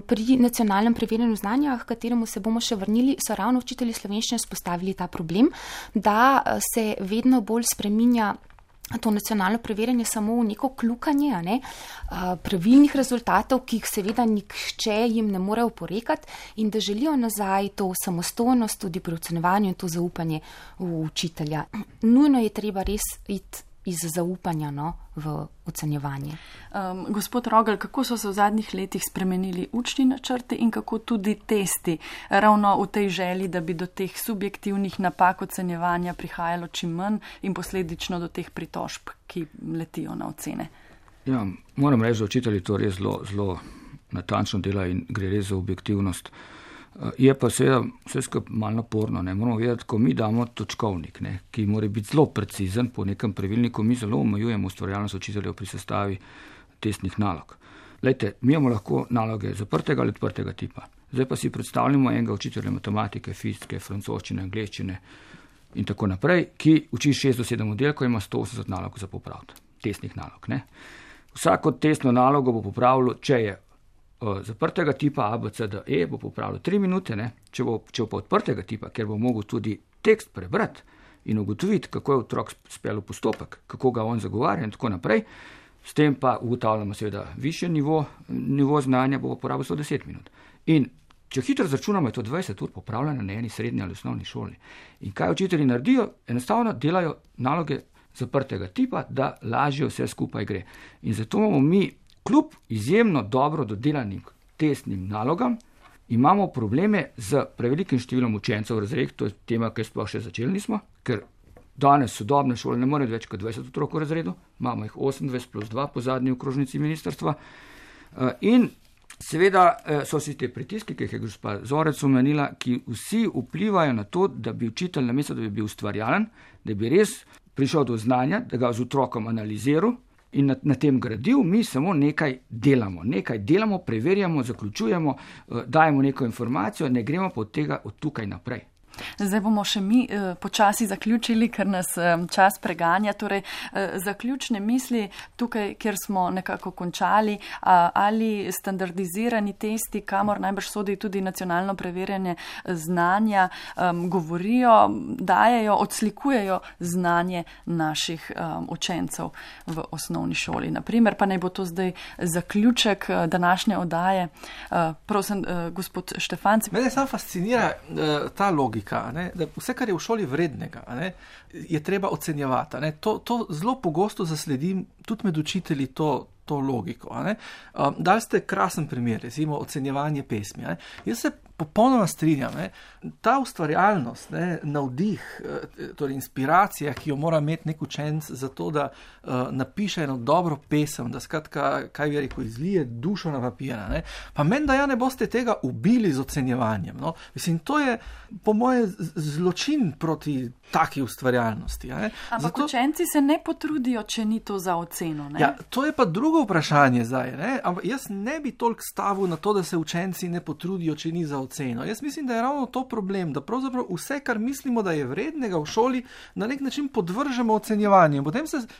Pri nacionalnem preverjanju znanja, k kateremu se bomo še vrnili, so ravno učitelji slovenščine spostavili ta problem, da se vedno bolj spreminja to nacionalno preverjanje samo v neko kljukanje, a ne, pravilnih rezultatov, ki jih seveda nihče jim ne more oporekati in da želijo nazaj to samostojnost tudi pri ocenjevanju in to zaupanje v učitelja. Nujno je treba res iti iz zaupanja v ocenjevanje. Gospod Rogel, kako so se v zadnjih letih spremenili učni načrti in kako tudi testi, ravno v tej želji, da bi do teh subjektivnih napak ocenjevanja prihajalo čim manj in posledično do teh pritožb, ki letijo na ocene? Ja, moram reči, da učitelji to res zelo natančno dela in gre res za objektivnost. Je pa seveda vse skupaj malo naporno. Ne? Moramo vedeti, ko mi damo točkovnik, ne, ki mora biti zelo precizen po nekem pravilniku, mi zelo omejujemo ustvarjalnost učiteljev pri sestavi testnih nalog. Lejte, mi imamo lahko naloge zaprtega ali odprtega tipa. Zdaj pa si predstavljamo enega učitelja matematike, fizike, francoščine, angleščine in tako naprej, ki uči 6 do 7 oddelkov, ima 180 nalog za popraviti, testnih nalog. Ne? Vsako testno nalogo bo popravilo, če je zaprtega tipa A, B, C, D, E, bo popravilo 3 minute, ne? Če pa odprtega tipa, ker bo mogel tudi tekst prebrati in ugotoviti, kako je otrok speljal postopek, kako ga on zagovarja in tako naprej, S tem pa ugotavljamo seveda višji nivo znanja, bo porabil 110 minut. In če hitro zračunamo, je to 20 ur popravljanja na eni srednji ali osnovni šoli. In kaj učitelji naredijo? Enostavno delajo naloge zaprtega tipa, da lažje vse skupaj gre. In zato imamo mi kljub izjemno dobro dodelanim testnim nalogam, imamo probleme z prevelikim številom učencev v razredih, to je tema, ki sploh še začeli nismo, ker danes sodobne šole ne morejo več kot 20 otrok v razredu, imamo jih 28 plus 2 po zadnji okrožnici ministrstva. In seveda so vsi te pritiski, ki jih je gospa Zorec omenila, ki vsi vplivajo na to, da bi učitelj namesto, da bi bil ustvarjalen, da bi res prišel do znanja, da ga z otrokom analiziral in na tem gradil, mi samo nekaj delamo, preverjamo, zaključujemo, dajemo neko informacijo, ne gremo pa od tega od tukaj naprej. Zdaj bomo še mi počasi zaključili, ker nas čas preganja. Torej, zaključne misli tukaj, kjer smo nekako končali, ali standardizirani testi, kamor najbrž sodi tudi nacionalno preverjanje znanja, govorijo, dajejo, odslikujejo znanje naših učencev v osnovni šoli. Naprimer, pa naj bo to zdaj zaključek današnje oddaje. Prosim, gospod Štefanc. Mene sam fascinira ta logika. Da vse, kar je v šoli vrednega, je treba ocenjevati. To zelo pogosto zasledim tudi med učitelji to logiko. Dali ste krasen primer, recimo ocenjevanje pesmi. Jaz se popolnoma strinjam. Ta ustvarjalnost, navdih, torej inspiracija, ki jo mora imeti nek učenec za to, da napiše eno dobro pesem, da skratka, kaj bi rekel, izlije dušo na papir. Pa meni, da ne boste tega ubili z ocenjevanjem. No? Mislim, to je po moje zločin proti taki ustvarjalnosti. Ampak učenci se ne potrudijo, če ni to za oceno. Ja, to je pa drugo vprašanje zdaj. Ampak jaz ne bi toliko stavil na to, da se učenci ne potrudijo, če ni za oceno. Jaz mislim, da je ravno to problem, da pravzaprav vse, kar mislimo, da je vrednega v šoli, na nek način podvržemo ocenjevanju.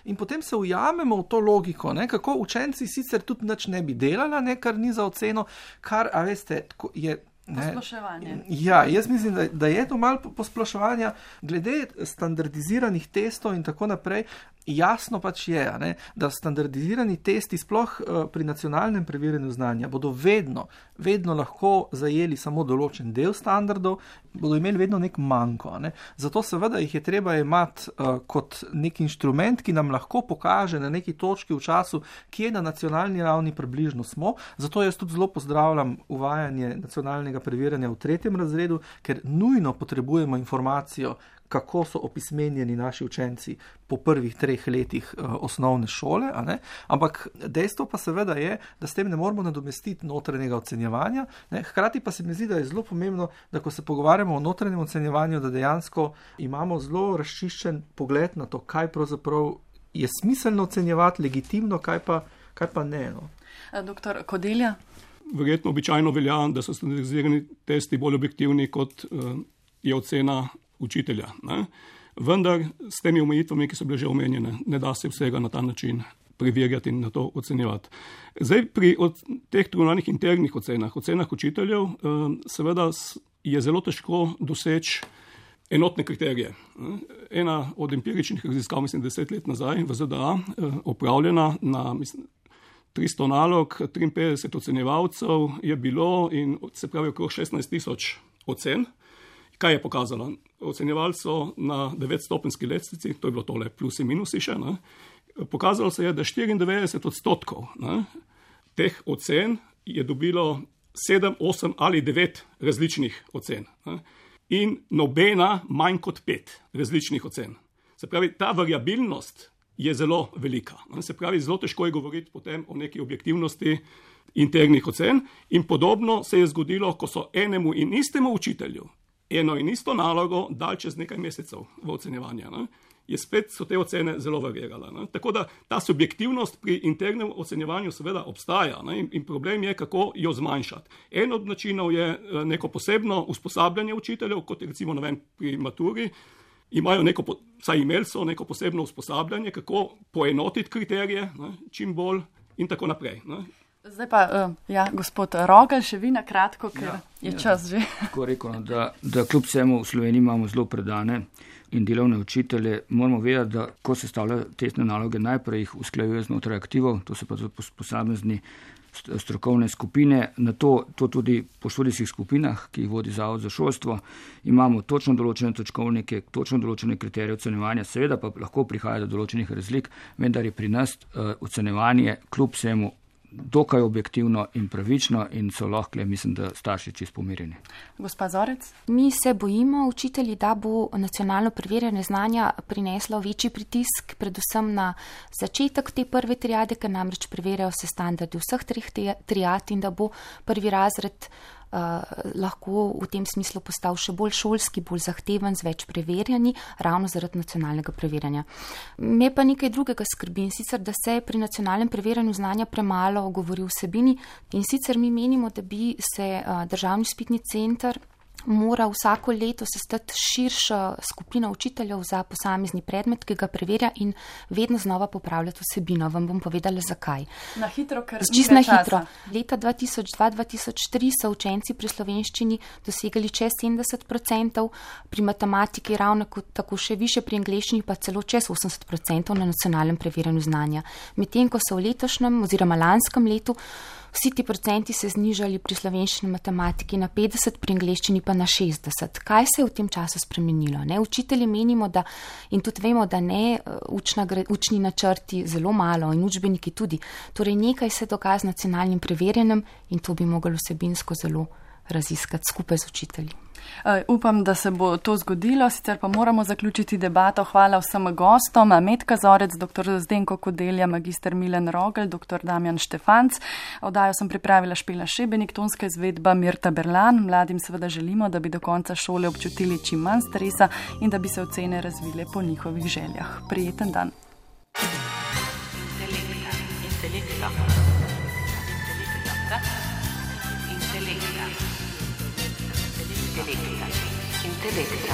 In potem se ujamemo v to logiko, kako učenci sicer tudi nič ne bi delala, kar ni za oceno, kar, a veste, je... Posploševanje. Ja, jaz mislim, da je to malo posploševanja. Glede standardiziranih testov in tako naprej, jasno pač je, da standardizirani testi sploh pri nacionalnem preverjanju znanja bodo vedno lahko zajeli samo določen del standardov, bodo imeli vedno nek manko. Zato seveda jih je treba imati kot nek inštrument, ki nam lahko pokaže na neki točki v času, kje na nacionalni ravni približno smo. Zato jaz tudi zelo pozdravljam uvajanje nacionalnega preverjanja v 3. razredu, ker nujno potrebujemo informacijo, kako so opismenjeni naši učenci po prvih 3 letih osnovne šole. Ampak dejstvo pa seveda je, da s tem ne moramo nadomestiti notranjega ocenjevanja. Hkrati pa se mi zdi, da je zelo pomembno, da ko se pogovarjamo o notranjem ocenjevanju, da dejansko imamo zelo razčiščen pogled na to, kaj pravzaprav je smiselno ocenjevati, legitimno, kaj pa ne. No. Doktor Kodelja? Verjetno običajno velja, da so standardizirani testi bolj objektivni, kot je ocena učitelja. Vendar s temi omejitvami, ki so bile že omenjene, ne da se vsega na ta način preverjati in na to ocenjevati. Zdaj pri teh trunalnih internih ocenah učiteljev, seveda je zelo težko doseči enotne kriterije. Ena od empiričnih raziskav, mislim 10 let nazaj v ZDA, opravljena na 300 nalog, 53 ocenjevalcev je bilo in se pravi okrog 16,000 ocen. Kaj je pokazalo? Ocenjevali so na 9-stopenjski lestvici, to je bilo tole plusi minusi še, pokazalo se je, da 94% teh ocen je dobilo 7, 8 ali 9 različnih ocen. In nobena manj kot 5 različnih ocen. Se pravi, ta variabilnost je zelo velika. Se pravi, zelo težko je govoriti potem o neki objektivnosti internih ocen in podobno se je zgodilo, ko so enemu in istemu učitelju eno in isto nalogo dal čez nekaj mesecev v ocenjevanje. Je spet so te ocene zelo variirale. Tako da ta subjektivnost pri internem ocenjevanju seveda obstaja in problem je, kako jo zmanjšati. En od načinov je neko posebno usposabljanje učiteljev, kot je recimo pri maturi, imajo imeli so neko posebno usposabljanje, kako poenotiti kriterije čim bolj in tako naprej. Zdaj pa, gospod Rogelj, še vi na kratko, ker je čas že. Tako rekel, da kljub vsemu v Sloveniji imamo zelo predane in delovne učitelje, moramo vedeti, da ko se stavljajo testne naloge, najprej jih usklajujejo znotraj aktivov, to so pa posamezni strokovne skupine, na to tudi po študijskih skupinah, ki jih vodi Zavod za šolstvo, imamo točno določene točkovnike, točno določene kriterije ocenjevanja, seveda pa lahko prihaja do določenih razlik, vendar je pri nas ocenjevanje kljub vsemu dokaj objektivno in pravično in so lahko, mislim, da starši čisto pomirjeni. Gospa Zorec? Mi se bojimo, učitelji, da bo nacionalno preverjanje znanja prineslo večji pritisk, predvsem na začetek te prve triade, ker namreč preverjajo se standardi vseh treh triad in da bo prvi razred lahko v tem smislu postal še bolj šolski, bolj zahteven, z več preverjanji, ravno zaradi nacionalnega preverjanja. Me pa nekaj drugega skrbi, in sicer, da se pri nacionalnem preverjanju znanja premalo govori o vsebini, in sicer mi menimo, da bi se Državni izpitni center mora vsako leto sestati širša skupina učiteljev za posamezni predmet, ki ga preverja in vedno znova popravljati vsebino. Vam bom povedala, zakaj. Na hitro, ker čisto na hitro. Leta 2002-2003 so učenci pri slovenščini dosegali čez 70%, pri matematiki ravno tako še više, pri angleščini pa celo čez 80% na nacionalnem preverjanju znanja. Medtem ko so v letošnjem oziroma lanskem letu vsi ti procenti se znižali pri slovenščini matematiki na 50, pri angleščini pa na 60. Kaj se je v tem času spremenilo? Učitelji menimo, da, in tudi vemo, da ne učni načrti zelo malo in učbeniki tudi. Torej nekaj se dogaja z nacionalnim preverjanjem in to bi mogli vsebinsko zelo raziskati skupaj z učitelji. Upam, da se bo to zgodilo, sicer pa moramo zaključiti debato. Hvala vsem gostom, Metka Zorec, dr. Zdenko Kodelja, magister Milan Rogel, dr. Damjan Štefanc. Oddajo sem pripravila Špela Šebenik, tonska izvedba Mirta Berlan. Mladim seveda želimo, da bi do konca šole občutili čim manj stresa in da bi se ocene razvile po njihovih željah. Prijeten dan. Intelekta.